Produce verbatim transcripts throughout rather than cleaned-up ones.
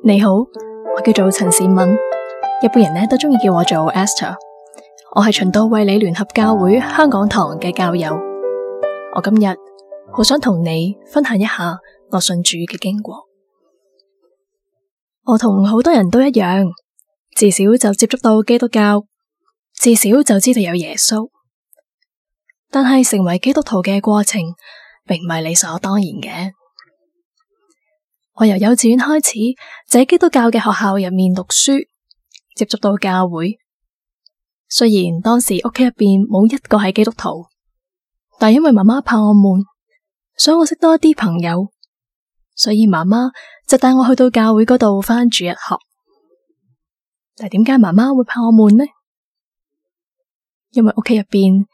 你好，我叫做陳善敏，一般人呢都中意叫我做 Esther。我係循道衛理聯合教會香港堂嘅教友。我今日好想同你分享一下我信主嘅經過。我同好多人都一樣，自小就接觸到基督教，自小就知道有耶穌。但係成為基督徒嘅過程，並唔係理所當然嘅。我由幼稚園開始就喺基督教嘅學校入面讀書，接觸到教會。雖然當時屋企入邊冇一個係基督徒，但因為媽媽怕我悶，想我識多一啲朋友，所以媽媽就帶我去到教會嗰度返主日學。但係點解媽媽會怕我悶呢？因為屋企入邊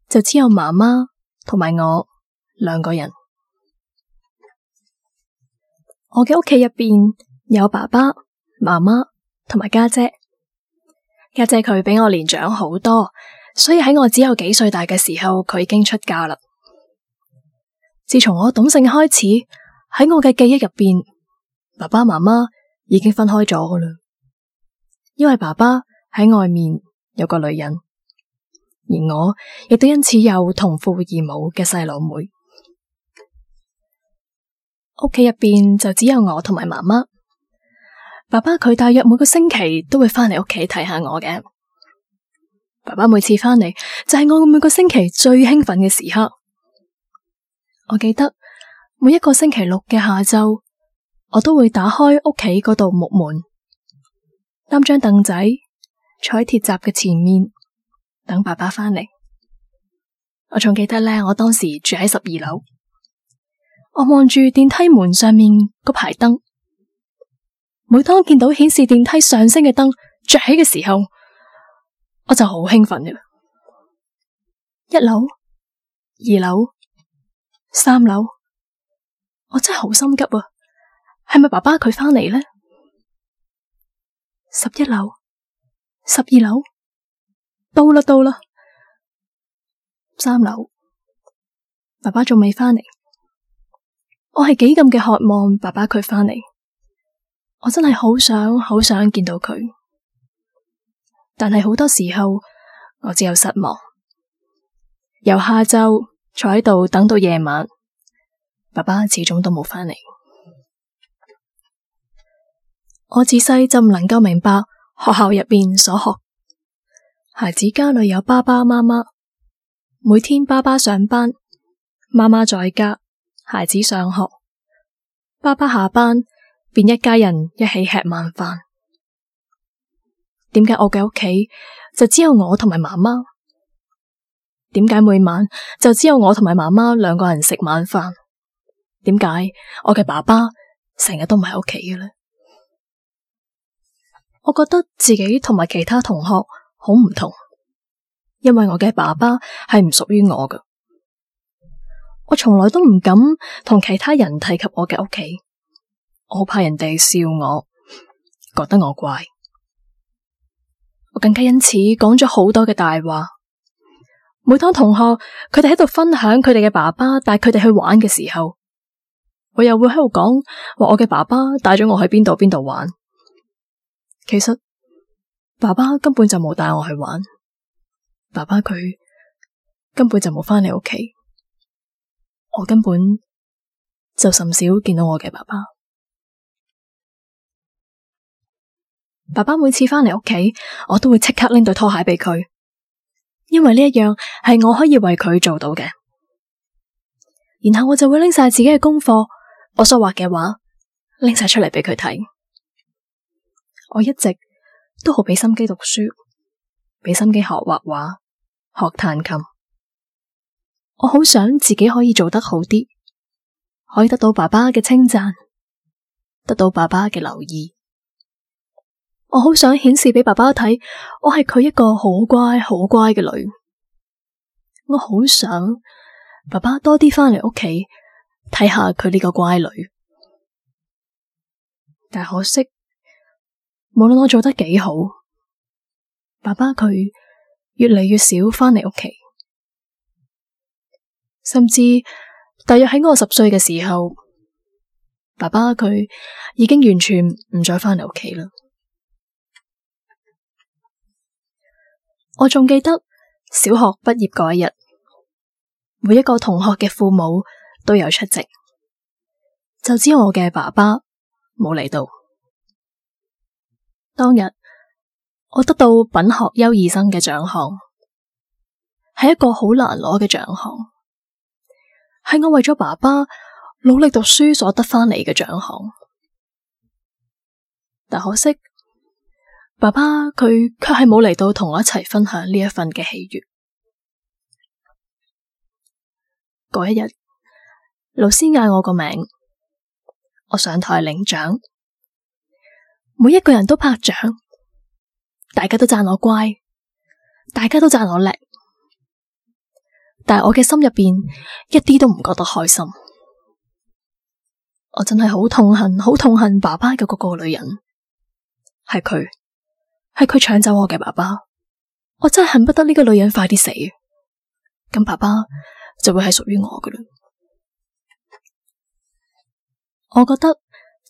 就只有媽媽同埋我兩個人。我嘅屋企入邊有爸爸、媽媽同埋家姐。家姐佢比我年長好多，所以喺我只有幾歲大嘅時候，佢已經出嫁啦。自從我懂性開始，喺我嘅記憶入邊，爸爸媽媽已經分開咗噶啦。因為爸爸喺外面有個女人，而我亦都因此有同父異母嘅細佬妹。屋企入邊就只有我同埋媽媽，爸爸佢大約每個星期都會返嚟屋企睇下我嘅。爸爸每次返嚟就係我每個星期最興奮嘅時刻。我記得每一個星期六嘅下晝，我都會打開屋企嗰道木門，擔張凳仔坐喺鐵閘嘅前面等爸爸返嚟。我仲記得呢，我當時住喺十二樓。我望住電梯門上面嗰排燈，每當見到顯示電梯上升嘅燈着起嘅時候，我就好興奮嘅。一樓、二樓、三樓，我真係好心急啊！係咪爸爸佢返嚟呢？十一樓、十二樓，到啦到啦，三樓，爸爸仲未返嚟。我係幾咁嘅渴望爸爸佢返嚟，我真係好想好想見到佢，但係好多時候我只有失望。由下晝坐喺度等到夜晚，爸爸始終都冇返嚟。我自細就唔能夠明白學校入邊所學，孩子家裏有爸爸媽媽，每天爸爸上班，媽媽在家，孩子上學，爸爸下班，便一家人一起吃晚飯。點解我嘅屋企就只有我同埋媽媽？點解每晚就只有我同埋媽媽兩個人食晚飯？點解我嘅爸爸成日都唔喺屋企嘅呢？我覺得自己同埋其他同學好唔同，因為我嘅爸爸係唔屬於我嘅。我從來都唔敢同其他人提及我嘅屋企，我好怕人哋笑我，覺得我怪。我更加因此講咗好多嘅大話。每當同學佢哋喺度分享佢哋嘅爸爸帶佢哋去玩嘅時候，我又會喺度講話我嘅爸爸帶咗我去邊度邊度玩。其實爸爸根本就冇帶我去玩，爸爸佢根本就冇返嚟屋企。我根本就甚少見到我嘅爸爸。爸爸每次返嚟屋企，我都會即刻拎對拖鞋俾佢，因為呢一樣係我可以為佢做到嘅。然後我就會拎晒自己嘅功課，我所畫嘅畫拎晒出嚟俾佢睇。我一直都好俾心機讀書，俾心機學畫畫，學彈琴。我好想自己可以做得好啲，可以得到爸爸嘅稱讚，得到爸爸嘅留意。我好想顯示俾爸爸睇，我係佢一個好乖好乖嘅女。我好想爸爸多啲返嚟屋企睇下佢呢個乖女。但可惜，無論我做得幾好，爸爸佢越嚟越少返嚟屋企。甚至大約喺我十歲嘅時候，爸爸佢已經完全唔再返嚟屋企啦。我仲記得小學畢業嗰一日，每一個同學嘅父母都有出席，就只有我嘅爸爸冇嚟到。當日我得到品學優異生嘅獎項，係一個好難攞嘅獎項，係我為咗爸爸努力讀書所得返嚟嘅獎項。但可惜，爸爸佢卻係冇嚟到同我一齊分享呢一份嘅喜悅。嗰一日，老師嗌我個名，我上台領獎，每一個人都拍掌，大家都讚我乖，大家都讚我叻，但係我嘅心入邊一啲都唔覺得開心。我真係好痛恨，好痛恨爸爸嘅嗰個女人，係佢，係佢搶走我嘅爸爸。我真係恨不得呢個女人快啲死，咁爸爸就會係屬於我㗎喇。我覺得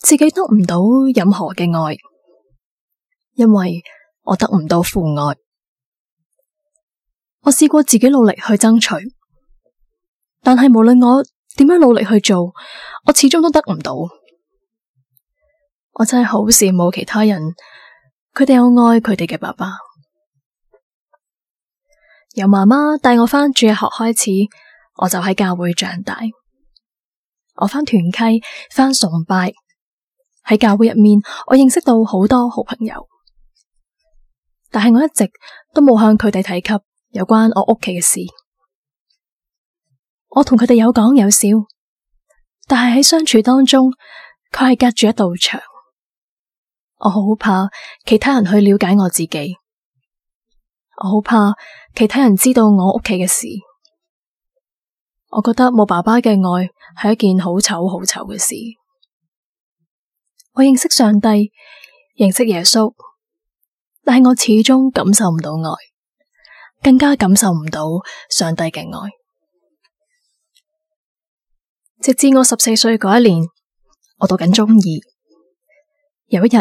自己得唔到任何嘅愛，因為我得唔到父愛。我試過自己努力去爭取，但係無論我點樣努力去做，我始終都得唔到。我真係好羨慕其他人，佢哋有愛佢哋嘅爸爸。由媽媽帶我返主日學開始，我就喺教會長大。我返團契，返崇拜，喺教會入面，我認識到好多好朋友。但係我一直都冇向佢哋提及有關我屋企嘅事。我同佢哋有講有笑，但係喺相處當中，佢係隔住一道牆。我好怕其他人去了解我自己，我好怕其他人知道我屋企嘅事。我覺得冇爸爸嘅愛係一件好醜好醜嘅事。我認識上帝，認識耶穌，但係我始終感受唔到愛，更加感受唔到上帝嘅愛。直至我十四歲嗰一年，我讀緊中二，有一日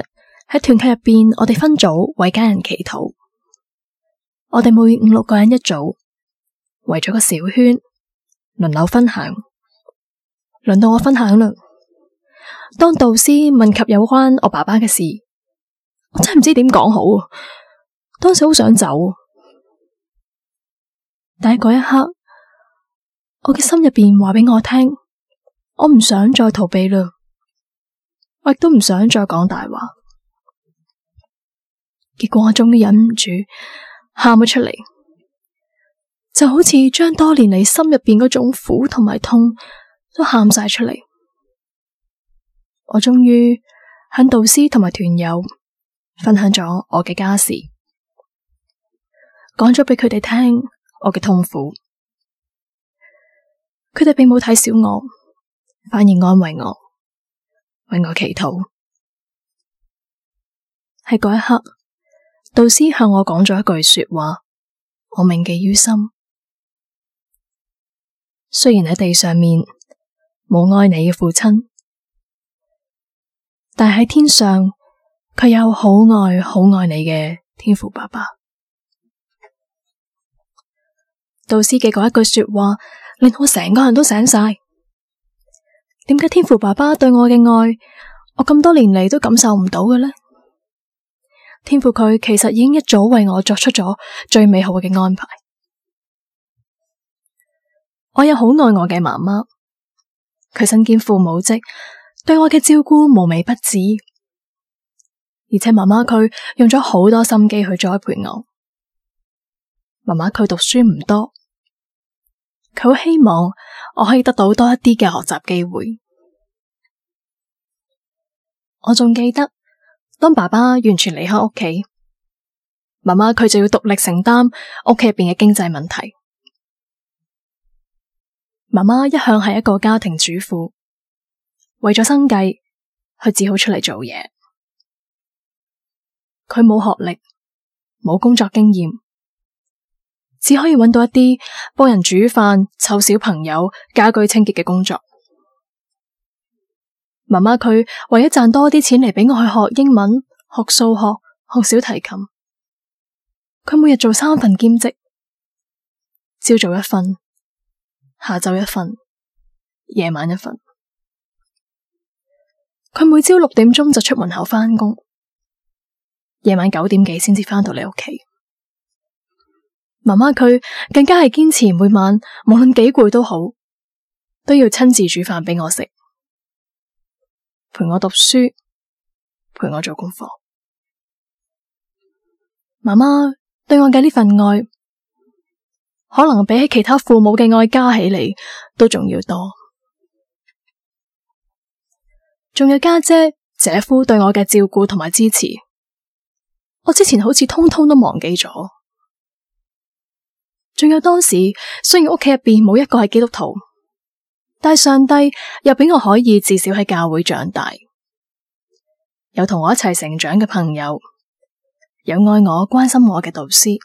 喺團契入邊，我哋分組為家人祈禱。我哋每五六個人一組，圍咗個小圈，輪流分享。輪到我分享啦。當導師問及有關我爸爸嘅事，我真係唔知點講好。當時好想走，但係嗰一刻，我嘅心入邊話俾我聽，我唔想再逃避啦，我亦都唔想再講大話。結果我終於忍唔住喊咗出嚟，就好似將多年嚟心入邊嗰種苦同埋痛都喊晒出嚟。我終於向導師同埋團友分享咗我嘅家事，講咗俾佢哋聽我嘅痛苦。佢哋並冇睇小我，反而安慰我，為我祈禱。喺嗰一刻，導師向我講咗一句說話，我銘記於心。雖然喺地上面冇愛你嘅父親，但喺天上佢有好愛好愛你嘅天父爸爸。導師嘅嗰一句說話令我成個人都醒晒。點解天父爸爸對我嘅愛，我咁多年嚟都感受唔到嘅呢？天父佢其實已經一早為我作出咗最美好嘅安排。我有好愛我嘅媽媽，佢身兼父母職，對我嘅照顧無微不至，而且媽媽佢用咗好多心機去栽培我。媽媽佢讀書唔多，佢好希望我可以得到多一啲嘅學習機會。我仲記得，當爸爸完全離開屋企，媽媽佢就要獨力承擔屋企入邊嘅經濟問題。媽媽一向係一個家庭主婦，為咗生計，佢只好出嚟做嘢。佢冇學歷，冇工作經驗，只可以揾到一啲幫人煮飯、湊小朋友、家居清潔嘅工作。媽媽佢為咗賺多啲錢嚟俾我去學英文、學數學、學小提琴，佢每日做三份兼職，朝早一份，下晝一份，夜晚一份。佢每朝六點鐘就出門口返工，夜晚九點幾先至返到嚟屋企。媽媽佢更加係堅持每晚無論幾攰都好，都要親自煮飯俾我食，陪我讀書，陪我做功課。媽媽對我嘅呢份愛，可能比起其他父母嘅愛加起嚟都仲要多。仲有家姐、姐夫對我嘅照顧同埋支持，我之前好似通通都忘記咗。仲有當時雖然屋企入邊冇一個係基督徒，但係上帝又俾我可以至少喺教會長大，有同我一齊成長嘅朋友，有愛我關心我嘅導師。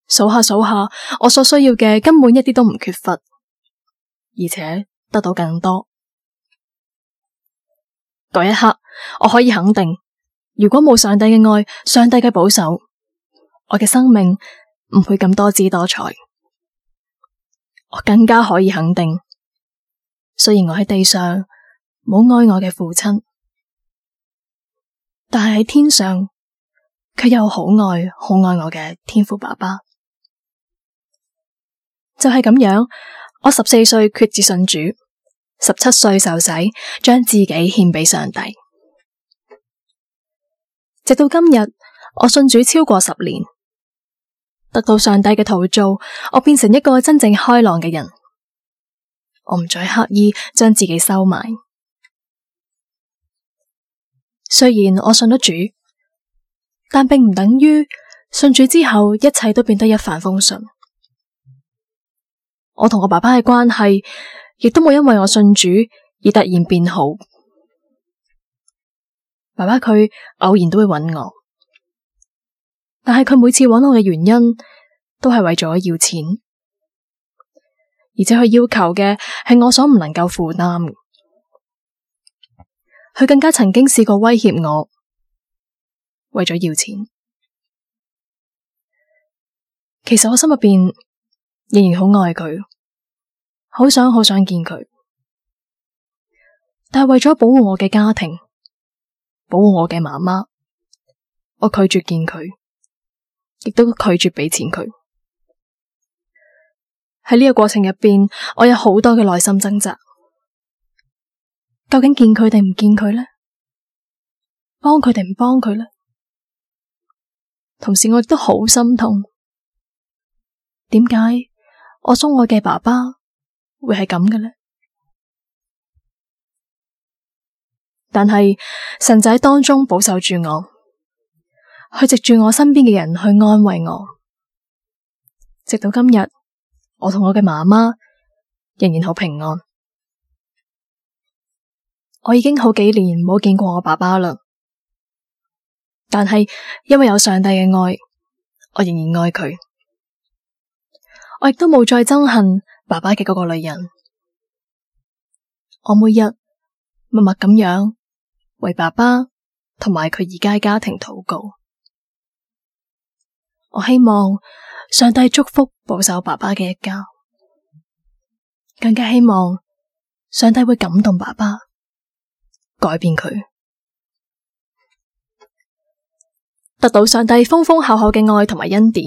數下數下，我所需要嘅根本一啲都唔缺乏，而且得到更多。嗰一刻，我可以肯定，如果冇上帝嘅愛、上帝嘅保守，我嘅生命唔會咁多姿多彩。我更加可以肯定，雖然我喺地上冇愛我嘅父親，但係喺天上，卻有好愛、好愛我嘅天父爸爸。就係咁樣，我十四歲決志信主，十七歲受洗，將自己獻俾上帝。直到今日，我信主超過十年，得到上帝嘅陶造，我變成一個真正開朗嘅人。我唔再刻意將自己收埋。雖然我信咗主，但並唔等於信主之後一切都變得一帆風順。我同我爸爸嘅關係，亦都冇因為我信主而突然變好。爸爸佢偶然都會揾我，但係佢每次揾我嘅原因都係為咗要錢，而且佢要求嘅係我所唔能夠負擔。佢更加曾經試過威脅我，為咗要錢。其實我心入邊仍然好愛佢，好想好想見佢，但係為咗保護我嘅家庭，保護我嘅媽媽，我拒絕見佢，亦都拒絕俾錢佢。喺呢個過程入邊，我有好多嘅內心掙扎，究竟見佢定唔見佢呢？幫佢定唔幫佢呢？同時我亦都好心痛，點解我所愛嘅爸爸會係咁嘅呢？但係神就喺當中保守住我，去藉住我身邊嘅人去安慰我，直到今日，我同我嘅媽媽仍然好平安。我已經好幾年冇見過我爸爸啦，但係因為有上帝嘅愛，我仍然愛佢。我亦都冇再憎恨爸爸嘅嗰個女人。我每日默默咁樣為爸爸同埋佢而家嘅家庭禱告。我希望上帝祝福保守爸爸嘅一家，更加希望上帝會感動爸爸，改變佢，得到上帝豐豐厚厚嘅愛同埋恩典。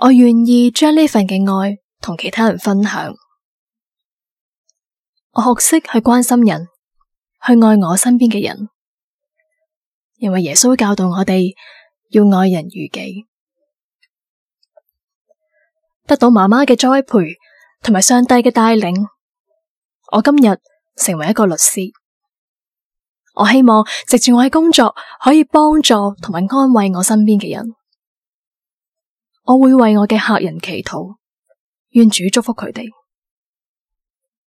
我願意將呢份嘅愛同其他人分享。我學識去關心人，去愛我身邊嘅人，因為耶穌教導我哋要愛人如己。得到媽媽嘅栽培同埋上帝嘅帶領，我今日成為一個律師。我希望藉住我嘅工作可以幫助同埋安慰我身邊嘅人。我會為我嘅客人祈禱，願主祝福佢哋。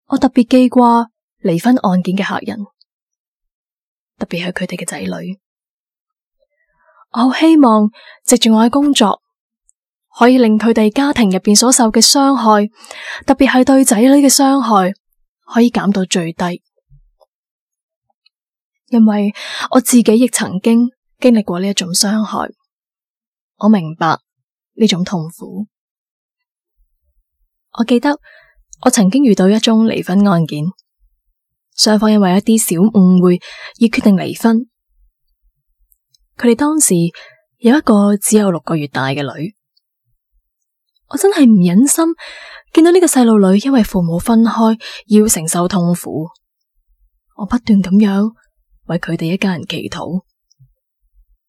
我特別記掛離婚案件嘅客人，特別係佢哋嘅仔女。我好希望藉住我嘅工作，可以令佢哋家庭入邊所受嘅傷害，特別係對仔女嘅傷害，可以減到最低。因為我自己亦曾經經歷過呢一種傷害，我明白呢種痛苦。我記得我曾經遇到一宗離婚案件，雙方因為一啲小誤會而決定離婚。佢哋當時有一個只有六個月大嘅女，我真係唔忍心見到呢個細路女因為父母分開要承受痛苦。我不斷咁樣為佢哋一家人祈禱，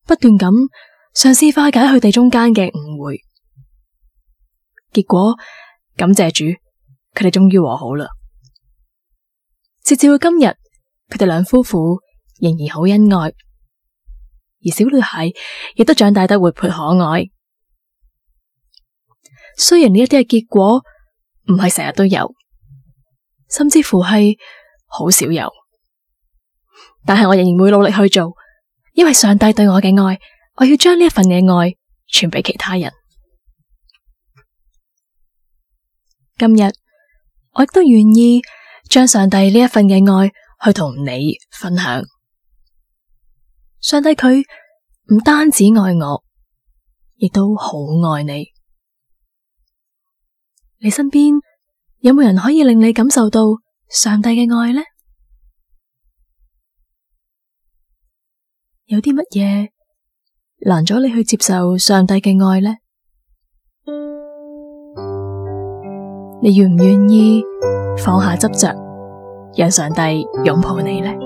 不斷咁嘗試化解佢哋中間嘅誤會。結果感謝主，佢哋終於和好啦。直至到今日，佢哋兩夫婦仍然好恩愛，而小女孩亦都長大得活潑可愛。雖然呢一啲嘅結果唔係成日都有，甚至乎係好少有，但係我仍然會努力去做，因為上帝對我嘅愛，我要將呢一份嘅愛傳俾其他人。今日我亦都願意將上帝呢一份嘅愛去同你分享。上帝佢唔單止愛我，亦都好愛你。你身邊有冇人可以令你感受到上帝嘅愛呢？有啲乜嘢難咗你去接受上帝嘅愛呢？你願唔願意放下執着，讓上帝擁抱你呢？